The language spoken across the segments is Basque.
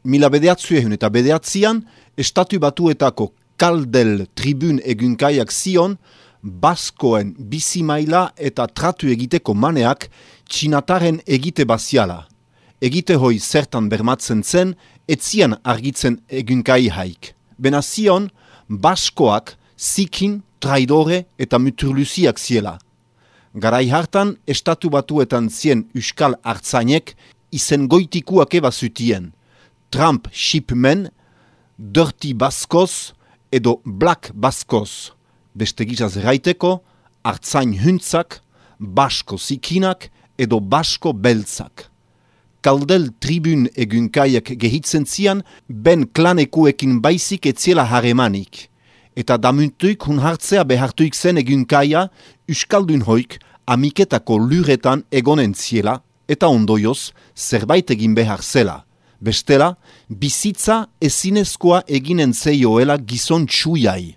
1909 Estatu Batuetako Kaldel Tribune egunkaiak zion, Baskoen bizimaila eta tratu egiteko maneak txinataren egite baziala. Egite hoi zertan bermatzen zen, etzian argitzen egunkai haik. Bena zion, Baskoak zikin, traidore eta muturluziak ziela. Garai hartan, Estatu Batuetan zien Euskal Artzainek izen goitikuak eba zutien. Trump shipmen, Dirty Baskoz edo Black Baskoz. Beste gizaz erraiteko, Artzain huntzak, Basko zikinak edo Basko beltzak. Kaldel Tribune egunkaiak gehitzen zian, ben klanekuekin baizik etziela haremanik. Eta damuntuik hun hartzea behartuik zen egunkaia, Euskaldun hoik amiketako luretan egonen ziela, eta ondoioz zerbait egin behar zela. Bestela, bizitza ezinezkoa eginen zeioela gizon txuiai.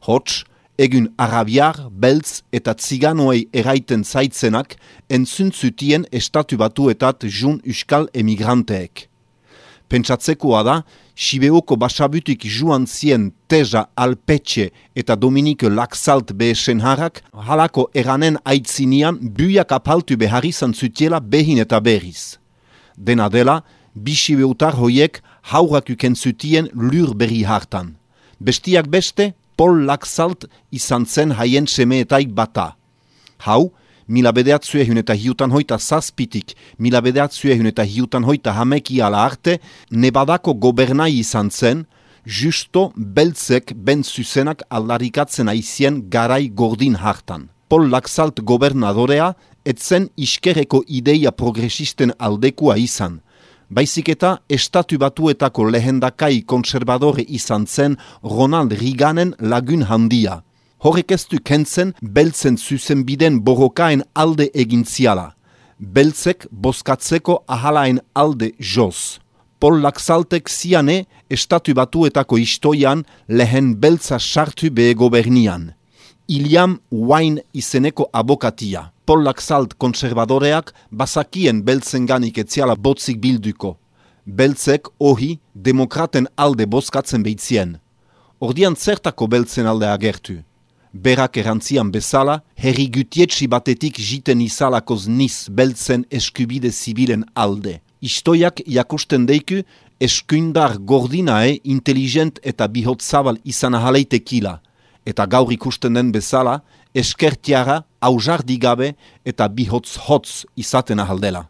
Hots, egun arabiar, beltz eta tziganoei eraiten zaitzenak entzuntzutien Estatu Batuetat jun Euskal emigranteek. Pentsatzekoa da, Sibeoko basabutik joan zien Teja Alpetxe eta Dominike Laxalt behesen harrak, halako eranen aitzinean buiak apaltu behar izan zutiela behin eta berriz. Dena dela, bi Sibeutar hoiek haurak ukentzutien lur berri hartan. Bestiak beste, Paul Laxalt izan zen haien semeetaik bata. Hau, 1907 hameki ala arte, Nevadako gobernai izan zen, justo beltzek ben zuzenak aldarikatzen aizien garai gordin hartan. Paul Laxalt gobernadorea, etzen iskerreko ideia progresisten aldekua izan. Baizik eta Estatu Batuetako lehendakai konservadore izan zen Ronald Reaganen lagun handia. Horrek ez du kentzen beltzen zuzenbiden borrokaen alde egintziala. Beltzek bozkatzeko ahalaen alde joz. Paul Laxaltek ziane Estatu Batuetako istoian lehen beltza sartu behe gobernian. Iliam Wine izeneko abokatia. Paul Laxalt konservadoreak bazakien beltzenganik etziala botzik bilduko. Beltzek ohi demokraten alde bozkatzen behitzien. Ordian zertako beltzen alde agertu. Berak erantzian bezala, herri gutietsi batetik jiten izalakoz niz beltzen eskubide zibilen alde. Istoiak jakusten deiku eskuindar gordinae inteligent eta bihotzabal izan ahaleitekila. Eta gaur ikusten den bezala, eskertiara, aujardigabe eta bihotz-hotz izaten ahaldela.